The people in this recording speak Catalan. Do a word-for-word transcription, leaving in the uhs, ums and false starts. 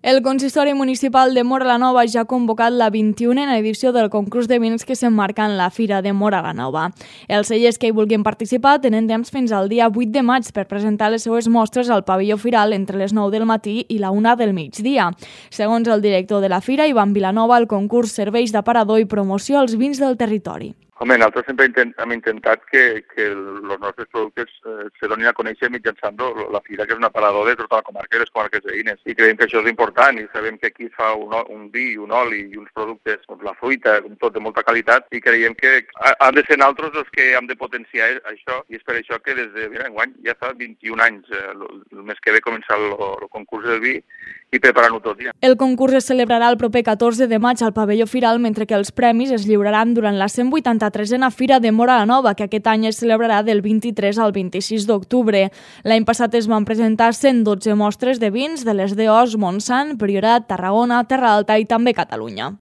El consistori municipal de Móra la Nova ja ha convocat la vint-i-unena edició del concurs de vins que s'emmarca en la Fira de Móra la Nova. Els cellers que hi vulguin participar tenen temps fins al dia vuit de maig per presentar les seues mostres al pavelló firal entre les nou del matí i la una del migdia. Segons el director de la Fira, Ivan Vilanova, el concurs serveix d'aparador i promoció als vins del territori. Home, nosaltres sempre intent, hem intentat que, que els nostres productes eh, se donin a conèixer mitjançant la Fira, que és un aparador de tota la comarca i les comarques veïnes. I creiem que això és important i sabem que aquí fa un, un vi, un oli i uns productes, doncs la fruita, tot de molta qualitat, i creiem que han de ser nosaltres els que hem de potenciar això, i és per això que des de mira, enguany ja fa vint-i-un anys, eh, el mes que ve començar el, el concurs del vi i preparant-ho tot ja. El concurs es celebrarà el proper catorze de maig al pavelló firal, mentre que els premis es lliuraran durant la cent vuitanta-tresena Fira de Móra la Nova, que aquest any es celebrarà del vint-i-tres al vint-i-sis d'octubre. L'any passat es van presentar cent dotze mostres de vins de les d'Eos, Montsant, Priorat, Tarragona, Terra Alta i també Catalunya.